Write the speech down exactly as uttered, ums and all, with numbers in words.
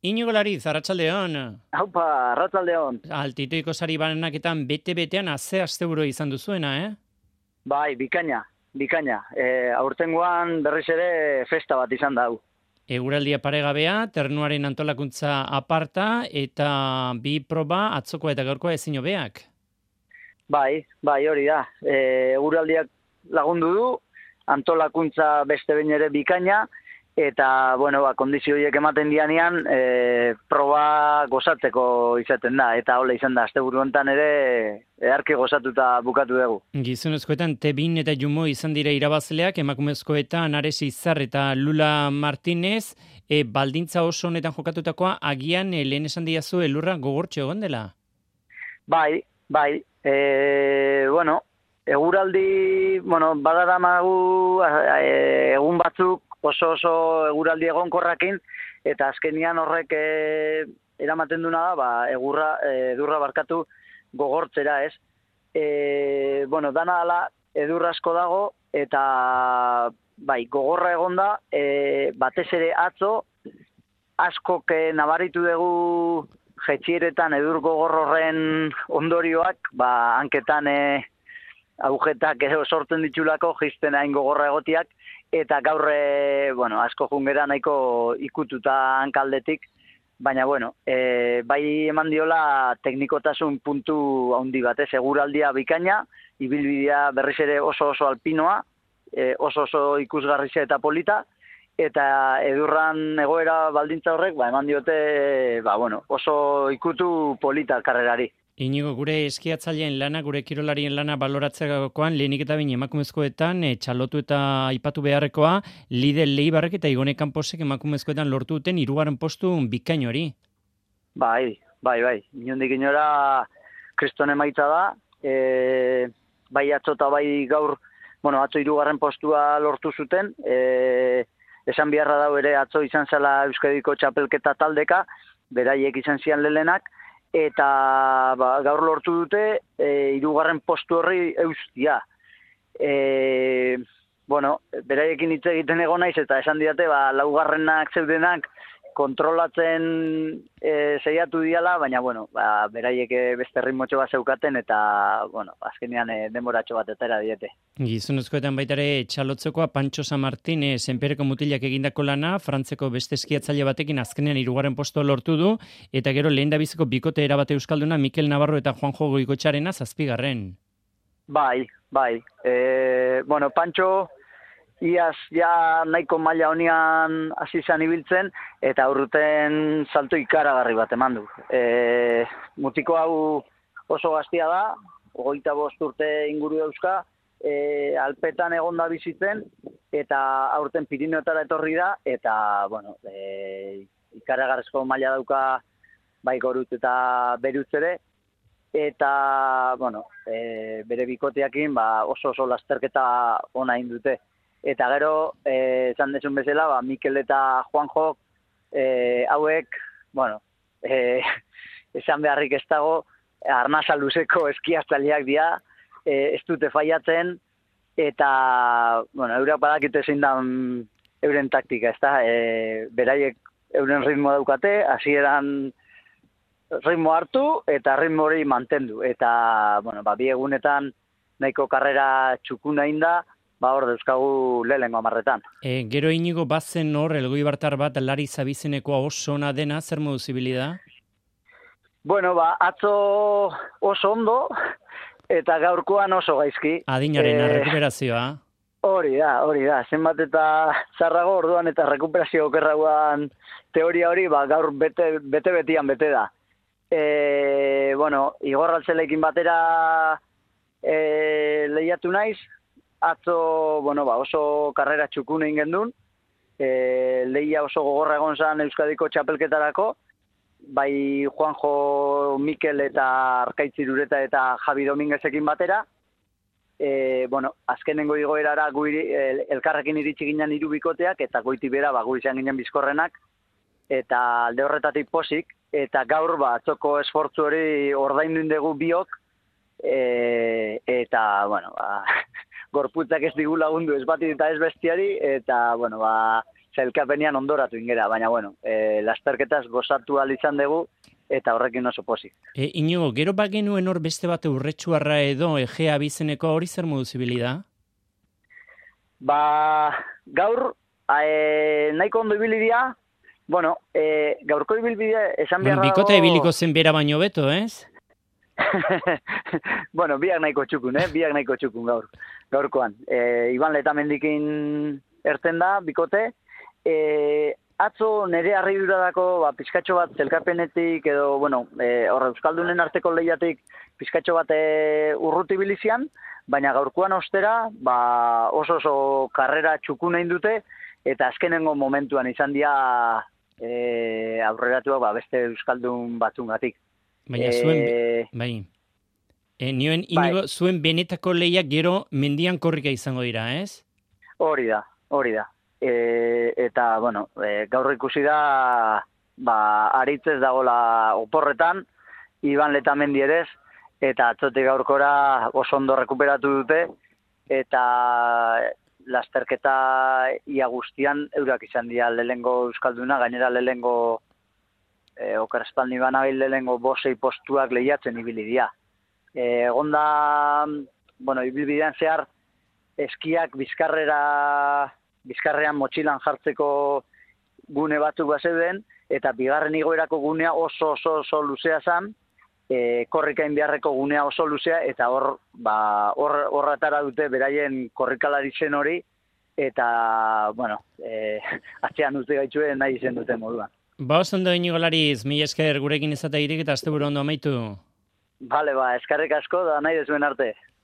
Inigo Lariz, arratsaldeon. Haupa, arratsaldeon. Altitoiko sari banaketan bete-betean aze asteburu izan duzuena, eh? Bai, bikaina, bikaina. E, aurtengoan berriz ere festa bat izan da hau. Eguraldia paregabea, ternuaren antolakuntza aparta eta bi proba atzokoa eta gaurkoa ezin hobeak. Bai, bai, hori da. E, eguraldiak lagundu du, antolakuntza beste behin ere bikaina, eta, bueno, ba, kondizio horiek ematen dianean, e, proba gozatzeko izaten da, eta hola izan da, asteburu honetan ere, eharki gozatuta bukatu dugu. Gizonezkoetan Tebin eta Jumo izan dira irabazleak, emakumezkoetan Ares Izar eta Lula Martinez, e, baldintza oso honetan jokatutakoa, agian e, lehen esan diazu elurra gogortxe egon dela? Bai, bai, e, bueno, eguraldi, bueno, badara magu, e, egun batzuk oso oso eguraldi egonkorrakin, eta azkenian horrek e, eramaten duna da, ba, egurra, e, edurra barkatu gogortzera, ez? E, bueno, dana dala edurra asko dago, eta bai, gogorra egonda, e, batez ere atzo, askok e, nabaritu dugu jetxieretan edur gogor horren ondorioak, ba, hanketan e, agujetak edo sortzen ditulako jizten hain gogorra egotiak, eta gaur, e, bueno, asko jungera nahiko ikututa hankaldetik, baina, bueno, e, bai eman diola teknikotasun puntu handi batez, eguraldia bikaina, ibilbidea berriz ere oso oso alpinoa, e, oso oso ikusgarrizia eta polita, eta edurran egoera baldintza horrek, ba, eman diote, ba, bueno, oso ikutu polita karrerari. Inigo, gure eskiatzaileen lana, gure kirolarien lana baloratzeakoan, lehenik eta bain emakumezkoetan, e, txalotu eta aipatu beharrekoa, Lidl Leibarrek eta Igone Kanposek emakumezkoetan lortu duten hirugarren postu bikain hori. Bai, bai, bai. Inondik inora kriston emaitza da, e, bai atzo eta bai gaur, bueno, atzo hirugarren postua lortu zuten, e, esan beharra dau ere atzo izan zela Euskadiko txapelketa taldeka, beraiek izan zian lelenak, eta ba, gaur lortu dute e, hirugarren postu horri eustia. E, bueno, beraiekin hitz egiten egon naiz eta esan didate, ba, laugarrenak zeudenak kontrolatzen e, zeiatu diala, baina, bueno, ba, beraiek beste ritmotxo bat zeukaten eta, bueno, azkenean e, demoratxo bat etera diete. Gizonezkoetan baitare txalotzekoa Pantxo San Martin, e, Senpereko mutilak egindako lana, Frantzeko beste eskiatzaile batekin azkenean hirugarren posto lortu du, eta gero lehen dabiziko bikote erabate euskalduna Mikel Navarro eta Juanjo Goikotxarena zazpigarren. Bai, bai. E, bueno, Pantxo iaz ja nahiko maila honian hasi izan ibiltzen, eta aurruten salto ikaragarri bat eman du. E, mutiko hau oso gaztia da, hogeita bost urte inguru dauzka, e, alpetan egonda bizitzen, eta aurten Pirineotara etorri da, eta, bueno, e, ikaragarrizko maila dauka bai Gorut eta Berutz ere, eta, bueno, e, bere bikoteakin ba, oso oso lasterketa ona egin dute. Eta gero, eh, esan desun bezala, ba, Mikel eta Juanjo eh, hauek, bueno, eh, esan beharrik ez dago, arnasa luzeko eskiatzaileak dira, eh, ez dute faiatzen, eta, bueno, eurak badakite zein da euren taktika, ez da, eh, beraiek euren ritmo daukate, hasieran ritmo hartu, eta ritmo hori mantendu, eta, bueno, ba, bi egunetan nahiko karrera txukuna inda, ba hor dauzkagu lehengo amarretan. E, gero Inigo bazen hor, elgoi bartar bat, Lari Zabizenekoa oso ona dena, zer modu zibilida? Bueno, ba, atzo oso ondo, eta gaurkoan oso gaizki. Adinaren e, rekuperazioa. Hori da, hori da. Zenbat eta zarrago orduan eta rekuperazio okerragoan teoria hori, ba, gaur bete, bete betian bete da. E, bueno, igorraltzelekin batera e, lehiatu naiz, atzo, bueno, ba, oso karrera txukun egin gendun, e, lehia oso gogorra egon zan Euskadiko txapelketarako, bai Juanjo, Mikel eta Arkaitzirureta eta Javi Dominguezekin batera, e, bueno, azkenengo igoerara guiri, el, elkarrekin iritsi ginen hiru bikoteak, eta goiti bera, ba, gu izan ginen bizkorrenak, eta alde horretatik posik, eta gaur, ba, atzoko esfortzu hori ordaindu indegu biok, e, eta, bueno, ba, gorputzak ez digu lagundu ez bati eta ez bestiari, eta, bueno, ba, zelkapenian ondoratu ingera, baina bueno, e, lasterketaz gozatu ahal izan dugu, eta horrekin oso pozik. E, Inigo, gero bagenuen hor beste bate urretxuarra edo Egea bizeneko hori zer modu zibili da? Ba, gaur, e, nahiko ondo ibili dira, bueno, e, gaurko ibilbidea esan Bueno, beharra bikote dago- ibiliko zen bera baino beto, ez? bueno, biak nahiko txukun, eh? Biak nahiko txukun gaur, gaurkoan. E, Iban Letamendikin erten da, bikote. E, atzo nire harriduradako ba, pizkatxo bat zelkapenetik edo, bueno, e, horre Euskaldunen arteko lehiatik pizkatxo bat e, urruti bilizian, baina gaurkoan ostera ba, oso oso karrera txukun egin dute, eta azkenengo momentuan izan dira e, aurreratuak ba, beste Euskaldun batzungatik. Baina zuen, E, bai. E, nioen, Inigo, zuen benetako lehiak gero mendian korrika izango dira, ez? Hori da, hori da. E, eta, bueno, e, gaur ikusi da, ba, aritzez dagola oporretan, Iban Letamendi ere ez, eta atzotik gaurkora oso ondo rekuperatu dute, eta lasterketa ia guztian eurak izan dira lehengo Euskalduna, gainera lehengo e, oker espaldi banabil lehengo bosei postuak lehiatzen ibili dira. E, Egonda, bueno, ibilbidean zehar, eskiak bizkarrera, bizkarrean motxilan jartzeko gune batzuk bazeuden, eta bigarren igoerako gunea oso oso oso luzea zen, e, korrikain beharreko gunea oso luzea, eta hor, ba, hor, horratara dute beraien korrikalari zen hori, eta, bueno, e, atzean dute gaitzuen nahi izen dute moduan. Ba, oso ondo Inigo Lariz, mila esker gurekin izatea irik eta asteburu ondo amaitu. Bale, ba, eskarrik asko da nahi dezuen arte.